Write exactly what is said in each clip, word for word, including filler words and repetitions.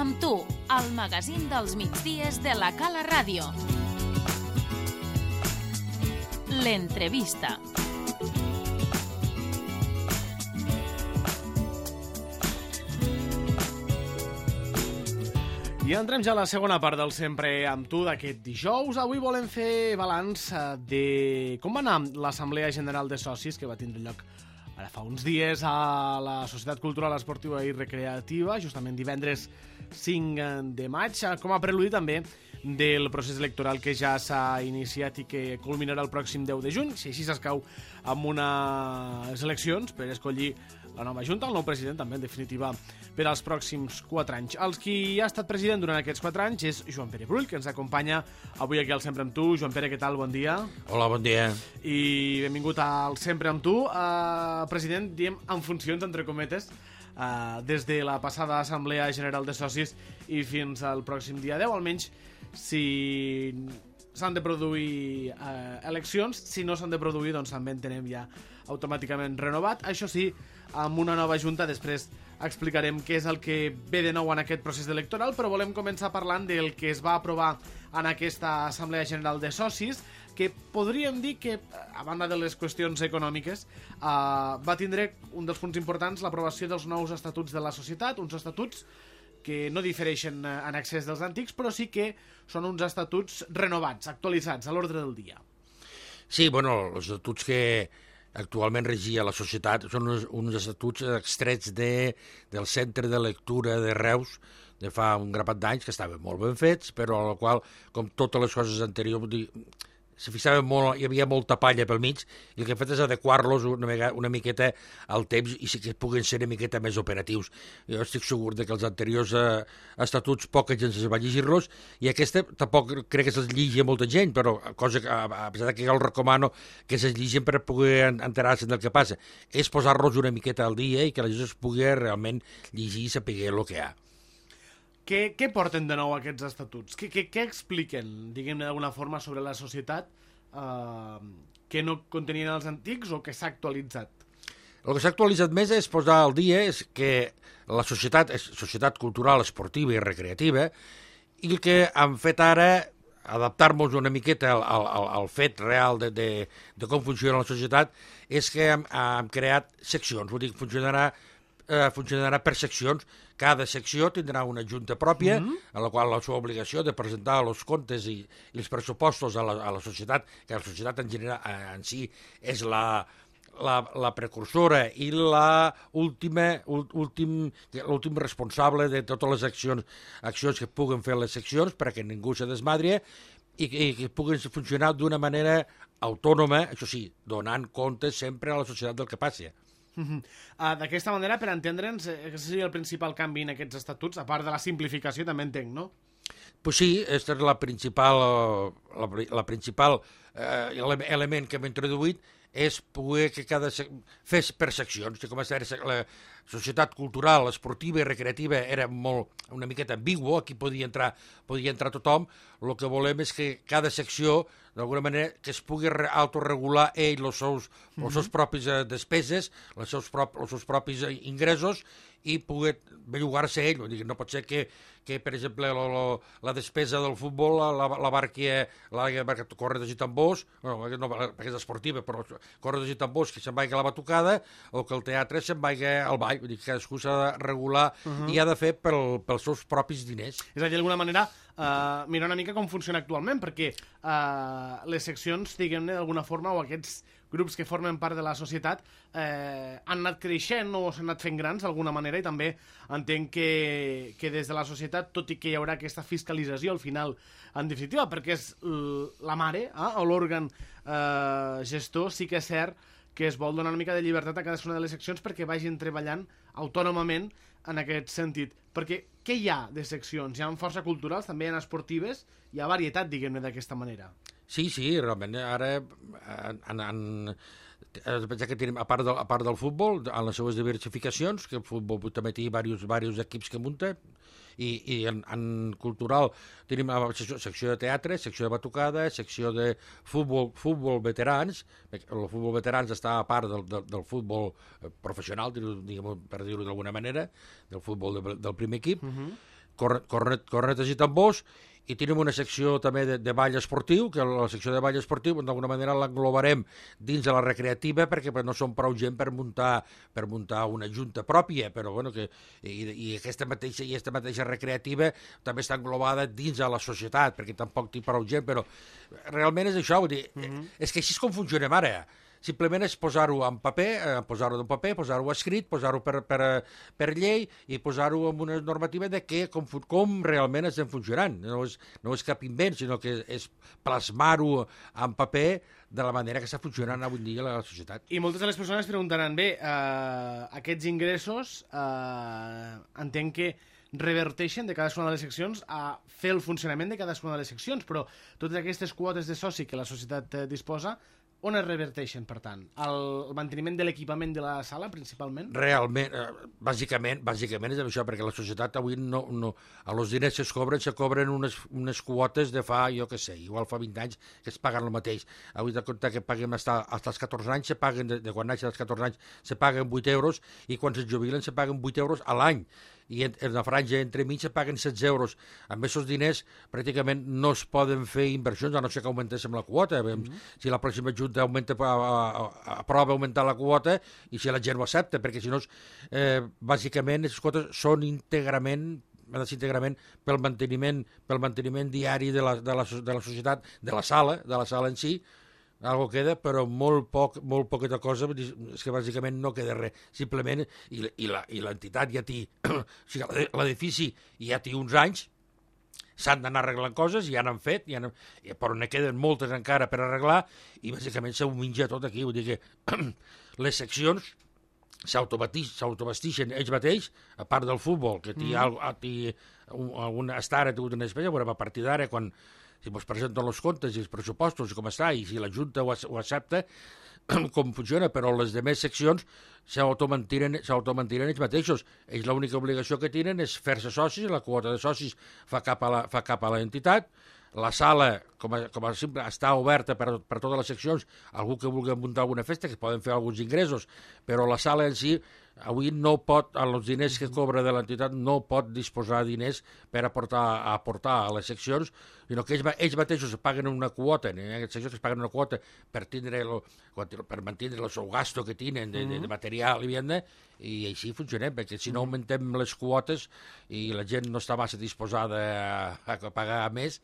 amb tu, el magazín dels migdies de la Cala Ràdio. L'entrevista. I entrem ja a la segona part del Sempre amb tu d'aquest dijous. Avui volem fer balanç de com va anar l'Assemblea General de Socis que va tindre lloc ara fa uns dies a la Societat Cultural, Esportiva i Recreativa, justament divendres cinc de maig, com a preludi també del procés electoral que ja s'ha iniciat i que culminarà el pròxim deu de juny, si així s'escau amb unes eleccions per escollir la nova Junta, el nou president també, en definitiva, per als pròxims quatre anys. Els qui ha estat president durant aquests quatre anys és Joan Pere Brull, que ens acompanya avui aquí al Sempre amb tu. Joan Pere, què tal? Bon dia. Hola, bon dia. I benvingut al Sempre amb tu. Uh, president, diem en funcions, entre cometes, uh, des de la passada Assemblea General de Socis i fins al pròxim dia deu, almenys si s'han de produir uh, eleccions. Si no s'han de produir, doncs també en tenem ja automàticament renovat. Això sí, amb una nova junta, després explicarem què és el que ve de nou en aquest procés electoral, però volem començar parlant del que es va aprovar en aquesta Assemblea General de Socis, que podríem dir que, a banda de les qüestions econòmiques, eh, va tindre un dels punts importants, l'aprovació dels nous estatuts de la societat, uns estatuts que no difereixen en excés dels antics, però sí que són uns estatuts renovats, actualitzats, a l'ordre del dia. Sí, bueno, els estatuts que actualment regia la societat són uns, uns estatuts extrets de, del Centre de Lectura de Reus de fa un grapat d'anys, que estaven molt ben fets, però a la qual, com totes les coses anteriors, se fixava molt, hi havia molta palla pel mig, i el que hem fet és adequar-los una, una miqueta al temps i sí que puguen ser una miqueta més operatius. Jo estic segur de que els anteriors eh, estatuts poca gent se va llegir-los, i aquesta tampoc crec que se'ls llegi a molta gent, però cosa que, a, a pesar que jo els recomano que se'ls llegin per poder enterar-se del que passa, és posar-los una miqueta al dia i que la gent es pugui realment llegir i saber el que hi ha. Què, què porten de nou aquests estatuts? Què, què, què expliquen, diguem-ne d'alguna forma, sobre la societat eh, que no contenien els antics o que s'ha actualitzat? El que s'ha actualitzat més és posar al dia és que la societat és societat cultural, esportiva i recreativa, i el que han fet ara, adaptar-nos una miqueta al, al, al fet real de, de, de com funciona la societat, és que hem, hem creat seccions, vull dir, funcionarà Eh, funcionarà per seccions. Cada secció tindrà una junta pròpia, mm-hmm. a la qual la seva obligació de presentar els comptes i, i els pressupostos a la, a la societat, que la societat en general eh, en si és la, la, la precursora i la última, últim, l'últim responsable de totes les accions, accions que puguen fer les seccions perquè ningú se desmadri i, i que puguen funcionar d'una manera autònoma, això sí, donant compte sempre a la societat del que passi. Uh-huh. Uh, D'aquesta manera, per entendre'ns, aquest seria el principal canvi en aquests estatuts, a part de la simplificació, també entenc, no? Pues sí, aquesta és la principal, la, la principal eh, element que hem introduït, és poder que cada fes per seccions. Com a la societat cultural, esportiva i recreativa era molt, una miqueta ambigua, aquí podia entrar, podia entrar tothom. El que volem és que cada secció, d'alguna manera, que es pugui autoregular ell els seus, mm-hmm. els seus propis despeses, els seus, prop, els seus propis ingressos, i poder bellugar-se ell. No pot ser que, que per exemple, la, la, la despesa del futbol la, la barqui la barca corredors i tambors, no, no, perquè és esportiva, però corredors i tambors que se'n vagi a la batucada, o que el teatre se'n vagi al ball. Vull dir que cadascú s'ha de regular uh-huh. i ha de fer pel, pels seus propis diners. És a dir, d'alguna manera, uh, mirar una mica com funciona actualment, perquè uh, les seccions, diguem-ne, d'alguna forma, o aquests grups que formen part de la societat eh, han anat creixent o s'han anat fent grans d'alguna manera, i també entenc que, que des de la societat, tot i que hi haurà aquesta fiscalització al final, en definitiva, perquè és la mare eh, o l'òrgan eh, gestor, sí que és cert que es vol donar una mica de llibertat a cadascuna de les seccions perquè vagin treballant autònomament en aquest sentit. Perquè què hi ha de seccions? Hi ha força culturals, també hi ha esportives, hi ha varietat, diguem-ne, d'aquesta manera. Sí, sí, realment, ara en, en, en, ja que tenim, a part, del, a part del futbol, en les seues diversificacions, que el futbol també té diversos, diversos equips que munta, i, i en, en cultural tenim secció, secció de teatre, secció de batucada, secció de futbol, futbol veterans. El futbol veterans està a part del, del, del futbol professional, diguem, per dir-ho d'alguna manera, del futbol de, del primer equip. Uh-huh. cornet, cornet, cornetes i tambors, i tenim una secció també de, de ball esportiu, que la secció de ball esportiu d'alguna manera l'englobarem dins de la recreativa, perquè no som prou gent per muntar, per muntar una junta pròpia, però bueno, que, i, i, aquesta mateixa, i aquesta mateixa recreativa també està englobada dins de la societat, perquè tampoc té prou gent, però realment és això, vull dir, mm-hmm. és que així és com funcionem ara. Simplement és posar-ho en paper, eh, posar-ho en paper, posar-ho escrit, posar-ho per, per, per llei i posar-ho en una normativa de que, com, com realment estem funcionant. No és, no és cap invent, sinó que és plasmar-ho en paper de la manera que està funcionant avui dia la societat. I moltes de les persones preguntaran, bé, eh, aquests ingressos eh, entenc que reverteixen de cadascuna de les seccions a fer el funcionament de cadascuna de les seccions, però totes aquestes quotes de soci que la societat eh, disposa, on es reverteixen, per tant? El manteniment de l'equipament de la sala, principalment? Realment, eh, bàsicament, bàsicament és això, perquè la societat avui no, no, a los diners que es cobren, se cobren unes, unes quotes de fa, jo què sé, igual fa vint anys que es paguen el mateix. Avui de compte que paguem fins als catorze anys, se paguen, de, de quan naixen als catorze anys, se paguen vuit euros, i quan es jubilen se paguen vuit euros a l'any. I en, en la franja entre mig se paguen setze euros. Amb aquests diners pràcticament no es poden fer inversions, a no ser que augmentéssim la quota. Mm-hmm. Si la pròxima junta augmenta, aprova augmentar la quota i si la gent ho accepta, perquè si no, eh, bàsicament, aquestes quotes són íntegrament íntegrament pel manteniment, pel manteniment diari de la, de, la, de la societat, de la sala, de la sala en si. Algo queda, però molt poc, molt poqueta cosa, és que bàsicament no queda res. Simplement, i, i l'entitat ja té, o sigui, l'edifici ja té uns anys, s'han d'anar arreglant coses, ja n'han fet, ja però ne queden moltes encara per arreglar, i bàsicament s'ho menja tot aquí. Vull dir que les seccions s'autovestixen ells mateix, a part del futbol, que té, mm. té un, un, està ara una espècie, però a partir d'ara, quan si ens presenten els comptes i els pressupostos, com està, i si la Junta ho, ho accepta, com funciona, però les demés seccions s'automantiren ells mateixos. Ells l'única obligació que tenen és fer-se socis, la quota de socis fa cap a la, fa cap a l'entitat, la sala, com a, com a simple, està oberta per, per totes les seccions, algú que vulgui muntar alguna festa, que poden fer alguns ingressos, però la sala en si avui no pot, amb els diners que cobra de l'entitat, no pot disposar de diners per aportar, a aportar a les seccions, sinó que ells, ells mateixos paguen una quota, en aquestes seccions es paguen una quota per, tindre lo, per mantenir el seu gasto que tenen de, de, de material i vianda, i així funcionem, perquè si no augmentem les quotes i la gent no està massa disposada a, a pagar més,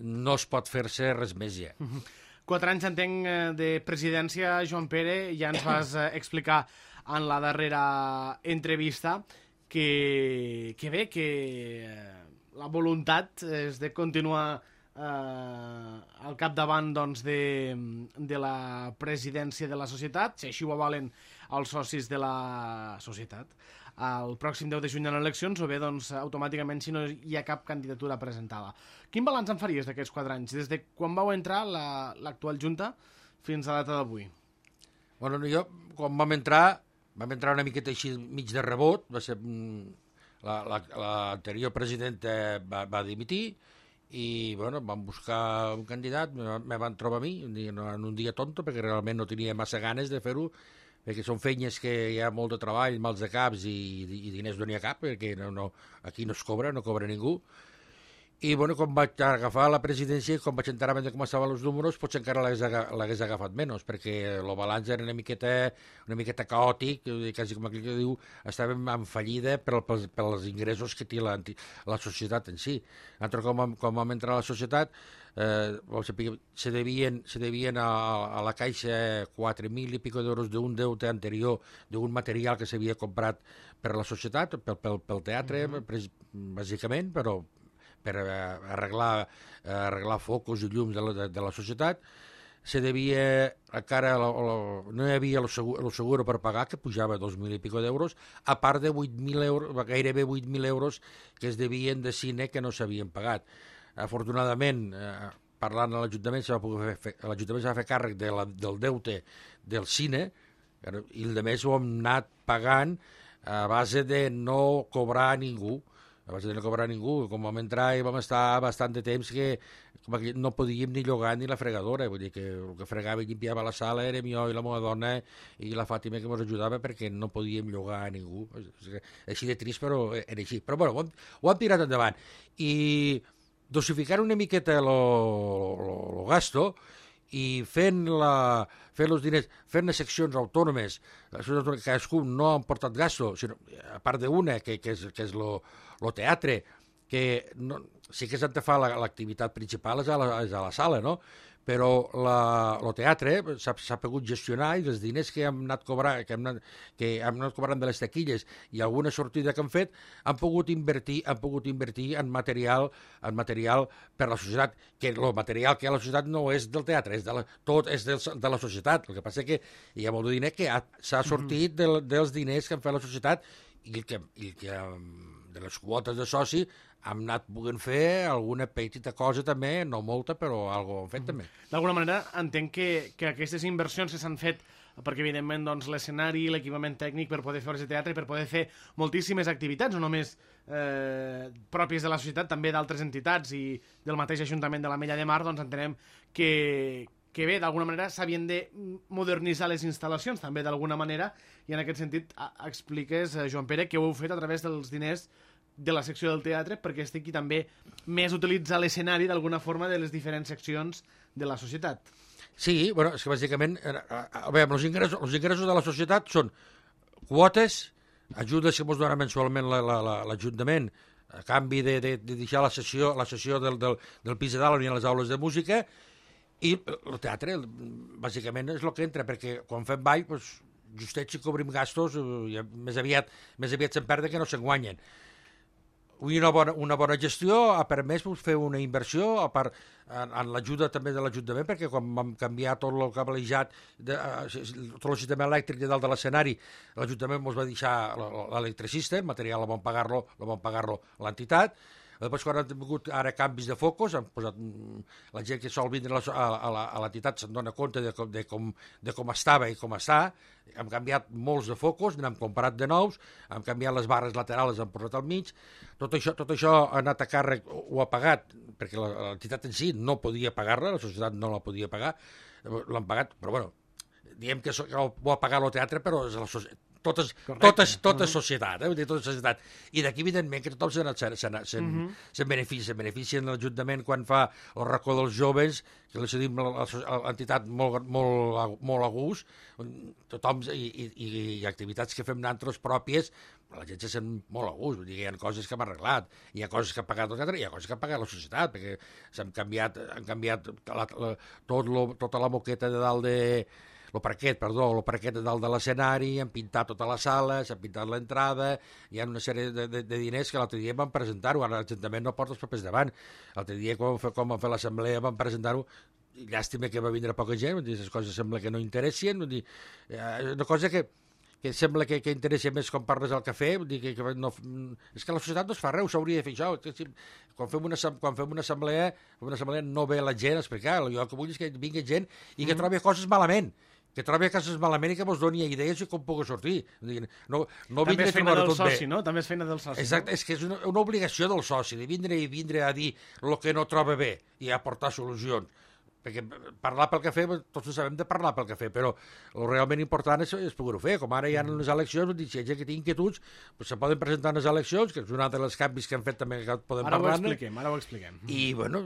no es pot fer-se res més ja. Quatre anys, entenc, de presidència, Joan Pere, ja ens vas explicar en la darrera entrevista que, que bé, que la voluntat és de continuar eh, al capdavant doncs, de, de la presidència de la societat, si així ho avalen els socis de la societat, el pròxim deu de juny en eleccions, o bé, doncs, automàticament, si no hi ha cap candidatura presentada. Quin balanç en faries d'aquests quatre anys, des de quan vau entrar l'actual la, Junta fins a la data d'avui? Bueno, jo, quan vam entrar, vam entrar una miqueta així mig de rebot, va ser l'anterior la, la, presidenta va, va dimitir, i bueno, vam buscar un candidat, me van trobar a mi, en un dia tonto, perquè realment no tenia massa ganes de fer-ho, perquè són feines que hi ha molt de treball, mals de caps i, i diners no n'hi ha cap, perquè no, no, aquí no es cobra, no cobra ningú. I bueno, quan vaig agafar la presidència, quan vaig entrar a com estaven els números, potser encara l'hagués agafat menys, perquè el balanç era una miqueta, una miqueta caòtic, quasi com aquell que diu, estàvem en fallida per, per, per els ingressos que té la, la societat en si. Nosaltres, quan, quan vam entrar a la societat, eh, se devien, se devien a, a la Caixa quatre mil i pico d'euros d'un deute anterior, d'un material que s'havia comprat per la societat, pel, pel, pel teatre, mm-hmm. bàsicament, però per arreglar, arreglar focus i llums de la, de, de la societat. Se devia, encara la, la, no hi havia el seguro, el seguro per pagar, que pujava dos mil i pico d'euros, a part de vuit mil euros, gairebé vuit mil euros que es devien de cine que no s'havien pagat. Afortunadament, eh, parlant a l'Ajuntament, l'Ajuntament s'ha fet càrrec de la, del deute del cine, i el de més ho hem anat pagant a base de no cobrar a ningú. abans de no cobrar ningú, com vam entrar i vam estar bastant de temps que, que no podíem ni llogar ni la fregadora, vull dir que el que fregava i limpiava la sala érem jo i la meva dona i la Fàtima que ens ajudava perquè no podíem llogar a ningú. Així de trist, però era així. Però bueno, ho hem, ho hem tirat endavant. I dosificar una miqueta el gasto i fent, la, fent els diners, fent les seccions autònomes, cadascú no han portat gasto, sinó, a part d'una, que, que és, que és lo, lo teatre, que no, sí que s'ha de fer l'activitat principal és a la, és a la sala, no? Però la, el teatre s'ha pogut gestionar i els diners que hem anat cobrant, que hem anat, que hem anat cobrant de les taquilles i alguna sortida que han fet han pogut invertir, han pogut invertir en material, en material per la societat, que el material que hi ha a la societat no és del teatre, és de la, tot és del, de la societat. El que passa és que hi ha molt de diner que s'ha sortit del, dels diners que han fet la societat i el que, el que de les quotes de soci hem anat podent fer alguna petita cosa també, no molta, però algo hem fet també. D'alguna manera, entenc que, que aquestes inversions que s'han fet, perquè evidentment doncs, l'escenari, l'equipament tècnic per poder fer obres de teatre, per poder fer moltíssimes activitats, no només eh, pròpies de la societat, també d'altres entitats i del mateix Ajuntament de la Mella de Mar, doncs entenem que, que bé, d'alguna manera s'havien de modernitzar les instal·lacions, també d'alguna manera, i en aquest sentit expliques, Joan Pere, que ho heu fet a través dels diners de la secció del teatre perquè estigui també més utilitzar l'escenari d'alguna forma de les diferents seccions de la societat. Sí, bueno, és que bàsicament a veure, els ingressos, els ingressos de la societat són quotes, ajudes que ens dona mensualment l'Ajuntament a canvi de, de, de deixar la sessió, la sessió del, del, del pis de dalt on hi ha les aules de música, i el teatre bàsicament és el que entra, perquè quan fem ball doncs, justets si cobrim gastos eh, més aviat, més aviat se'n perden que no se'n guanyen. Una bona, una bona gestió ha permès fer una inversió a part, en, en l'ajuda també de l'Ajuntament, perquè quan vam canviar tot el cablejat, de, tot el sistema elèctric de dalt de l'escenari, l'Ajuntament ens va deixar l'electricista, el material el vam pagar-lo pagar l'entitat. Després, quan han tingut ara canvis de focus, han posat, la gent que sol vindre a l'entitat se'n dona compte de com, de, com, de com estava i com està. Hem canviat molts de focus, n'hem comprat de nous, hem canviat les barres laterals, les hem posat al mig. Tot això, tot això ha anat a càrrec, ho ha pagat, perquè l'entitat en si no podia pagar-la, la societat no la podia pagar, l'han pagat, però bueno, diem que ho ha pagat el teatre, però és la societat. Totes, totes, tota societat, eh? Tota societat. I d'aquí, evidentment, que tothom se'n se, se, se, uh -huh. se beneficia. Se beneficien l'Ajuntament quan fa el racó dels joves, que li cedim l'entitat molt, molt, molt a gust, tothom, i, i, i activitats que fem nosaltres pròpies, la gent se sent molt a gust. Vull dir que hi ha coses que hem arreglat, hi ha coses que ha pagat el teatre, hi ha coses que ha pagat la societat, perquè s'han canviat, han canviat la, la, tot lo, tota la moqueta de dalt de... el parquet, perdó, el parquet de dalt de l'escenari, han pintat tota la sala, s'ha pintat l'entrada, hi ha una sèrie de, de, de diners que l'altre dia van presentar-ho, ara l'Ajuntament no porta els papers davant. L'altre dia, quan vam fer, quan vam fer l'assemblea, van presentar-ho, llàstima que va vindre poca gent, vull dir, les coses sembla que no interessen, vull dir, eh, una cosa que, que sembla que, que interessa més quan parles al cafè, vull dir que, que no, és que la societat no es fa res, s'hauria de fer això. Si, quan, fem una, quan fem una assemblea, una assemblea no ve la gent a explicar, jo el que vull és que vingui gent i que trobi coses malament, que trobi coses malament i que mos doni idees i com pugui sortir. No, no també és feina del soci, no? També és feina del soci. Exacte, no? És que és una, una obligació del soci, de vindre i vindre a dir el que no troba bé i aportar solucions. Perquè parlar pel cafè, tots sabem de parlar pel cafè, però el realment important és, és poder-ho fer. Com ara hi ha unes eleccions, si hi ha gent que té inquietuds, doncs se poden presentar en les eleccions, que és un altre dels canvis que hem fet també que podem ara parlar-ne. Ara ho expliquem, ara ho expliquem. I, bueno,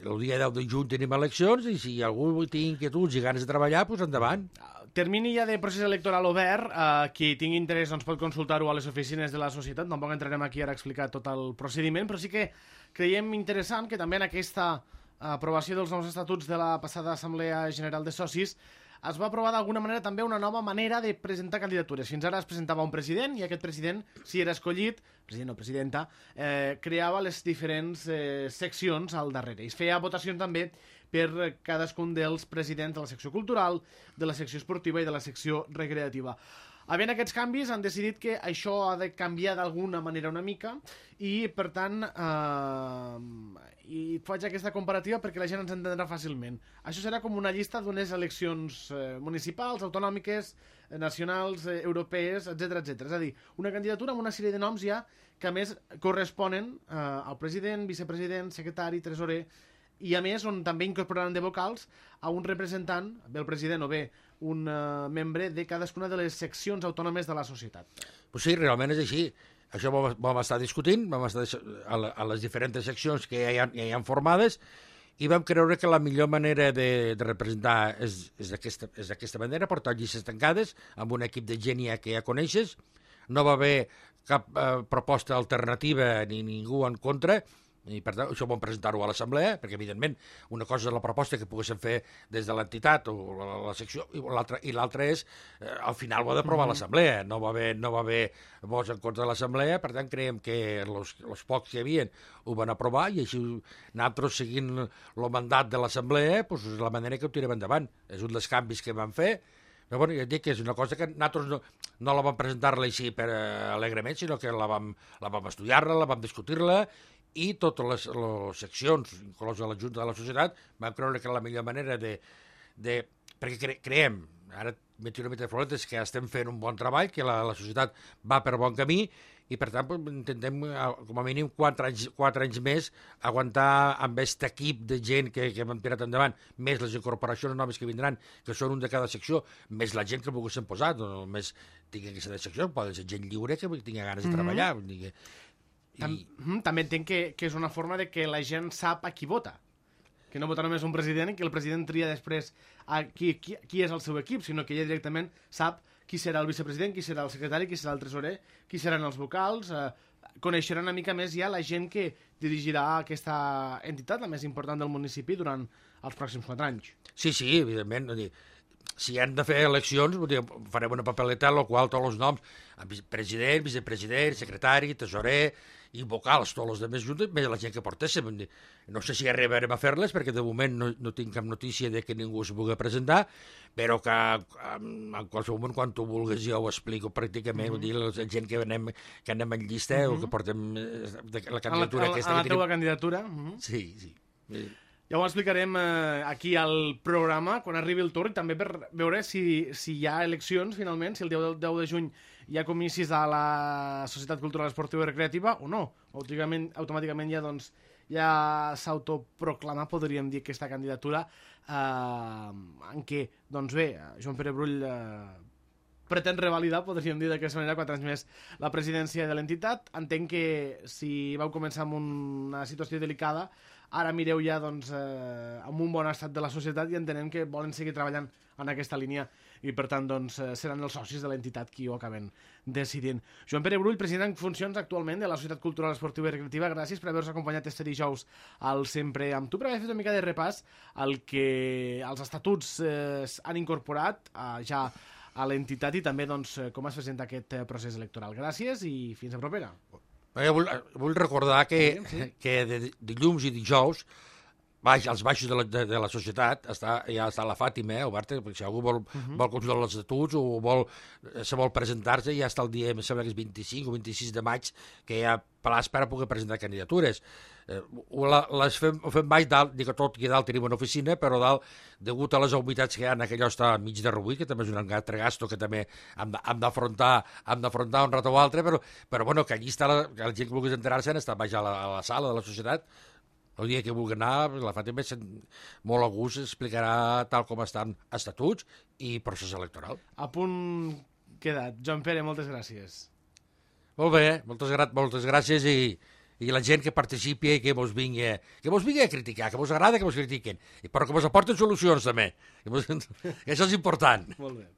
el dia deu de juny tenim eleccions i si algú té inquietuds i ganes de treballar, doncs endavant. Termini ja de procés electoral obert, eh, qui tingui interès doncs, pot consultar-ho a les oficines de la societat, tampoc entrarem aquí ara a explicar tot el procediment, però sí que creiem interessant que també en aquesta aprovació dels nous estatuts de la passada Assemblea General de Socis es va aprovar d'alguna manera també una nova manera de presentar candidatures. Fins ara es presentava un president i aquest president, si era escollit, president o presidenta, eh, creava les diferents eh, seccions al darrere. I es feia votació també per cadascun dels presidents de la secció cultural, de la secció esportiva i de la secció recreativa. Havent aquests canvis, han decidit que això ha de canviar d'alguna manera una mica i, per tant, eh, i faig aquesta comparativa perquè la gent ens entendrà fàcilment. Això serà com una llista d'unes eleccions eh, municipals, autonòmiques, eh, nacionals, eh, europees, etcètera, etcètera. És a dir, una candidatura amb una sèrie de noms ja que, a més, corresponen eh, al president, vicepresident, secretari, tresorer, i a més on també incorporaran de vocals a un representant, bé el president o bé un uh, membre de cadascuna de les seccions autònomes de la societat. Pues sí, realment és així. Això vam, vam estar discutint, vam estar a, la, a les diferents seccions que ja hi ha, ja hi ha formades i vam creure que la millor manera de, de representar és, és d'aquesta manera, portar llistes tancades amb un equip de gent ja que ja coneixes. No va haver cap eh, proposta alternativa ni ningú en contra, i per tant això vam presentar-ho a l'assemblea, perquè evidentment una cosa és la proposta que poguéssim fer des de l'entitat o la, la secció, i l'altra i l'altra és, eh, al final ho ha d'aprovar mm-hmm. l'assemblea, no va haver, no va haver vots en contra de l'assemblea, per tant creiem que els pocs que hi havia ho van aprovar i així nosaltres seguint el mandat de l'assemblea pues, és la manera que ho tirem endavant, és un dels canvis que vam fer. Però bueno, ja et dic que és una cosa que nosaltres no, no la vam presentar-la així per uh, alegrement, sinó que la vam, la vam estudiar-la, la vam discutir-la, i totes les, les seccions, inclosa la Junta de la Societat, vam creure que la millor manera de... de perquè cre, creiem, ara m'he una mica de floretes, que estem fent un bon treball, que la, la societat va per bon camí, i per tant pues, intentem, com a mínim, quatre anys, quatre anys més aguantar amb aquest equip de gent que, que hem tirat endavant, més les incorporacions noves que vindran, que són un de cada secció, més la gent que poguéssim posar, no només tingui aquesta secció, poden ser gent lliure que tingui ganes de treballar. Mm-hmm. I... Tam també entenc que, que és una forma de que la gent sap a qui vota, que no vota només un president i que el president tria després a qui, qui, qui és el seu equip, sinó que ella directament sap qui serà el vicepresident, qui serà el secretari, qui serà el tresorer, qui seran els vocals, eh, coneixeran una mica més ja la gent que dirigirà aquesta entitat, la més important del municipi, durant els pròxims quatre anys. Sí, sí, evidentment. Dir, si han de fer eleccions, dir, farem una papeleta en la qual tots els noms, president, vicepresident, secretari, tresorer i vocals, tots els altres junts, més la gent que portéssim. No sé si arribarem a fer-les, perquè de moment no, no tinc cap notícia de que ningú s'hi pugui presentar, però que en qualsevol moment, quan tu vulguis, jo ho explico pràcticament, mm-hmm. dir, la gent que anem, que anem en llista, mm-hmm. o que portem la candidatura a la, aquesta. A la que teva tenim... candidatura? Mm-hmm. Sí, sí. Ja ho explicarem eh, aquí al programa, quan arribi el torn, i també per veure si, si hi ha eleccions, finalment, si el deu de juny hi ha comicis a la Societat Cultural Esportiva i Recreativa o no. Automàticament, automàticament ja, doncs, ja s'autoproclama, podríem dir, aquesta candidatura eh, en què, doncs bé, Joan Pere Brull eh, pretén revalidar, podríem dir d'aquesta manera, quatre anys més la presidència de l'entitat. Entenc que si vau començar amb una situació delicada, ara mireu ja doncs, eh, amb un bon estat de la societat i entenem que volen seguir treballant en aquesta línia i per tant doncs, seran els socis de l'entitat qui ho acaben decidint. Joan Pere Brull, president en funcions actualment de la Societat Cultural Esportiva i Recreativa, gràcies per haver-nos acompanyat este dijous al Sempre amb tu, per haver fet una mica de repàs al que els estatuts eh, han incorporat eh, ja a l'entitat i també doncs, com es presenta aquest procés electoral. Gràcies i fins a propera. Jo vull, vull recordar que, sí, sí. que de dilluns i dijous baix, als baixos de la, de, de la societat està, ja està la Fàtima, eh, oberta, perquè si algú vol, uh-huh. vol consultar els estatuts o vol, se vol presentar-se, ja està el dia, em sembla que és vint-i-cinc o vint-i-sis de maig, que hi ha plaç per a poder presentar candidatures. Eh, les fem, fem baix dalt, dic que tot aquí dalt tenim una oficina, però dalt, degut a les humitats que hi ha, que allò està mig derruït, que també és un altre gasto que també hem d'afrontar hem d'afrontar un rato o altre, però, però bueno, que allí està la, que la gent que vulgui enterar-se està baix a la, a la sala de la societat. El dia que vulgui anar, la Fàtima molt a gust explicarà tal com estan estatuts i procés electoral. A punt quedat. Joan Pere, moltes gràcies. Molt bé, moltes, gra moltes gràcies i, i la gent que participi i que vos vingui, que vos vingui a criticar, que vos agrada que vos critiquen, però que vos aporten solucions també. Que vos... Això és important. Molt bé.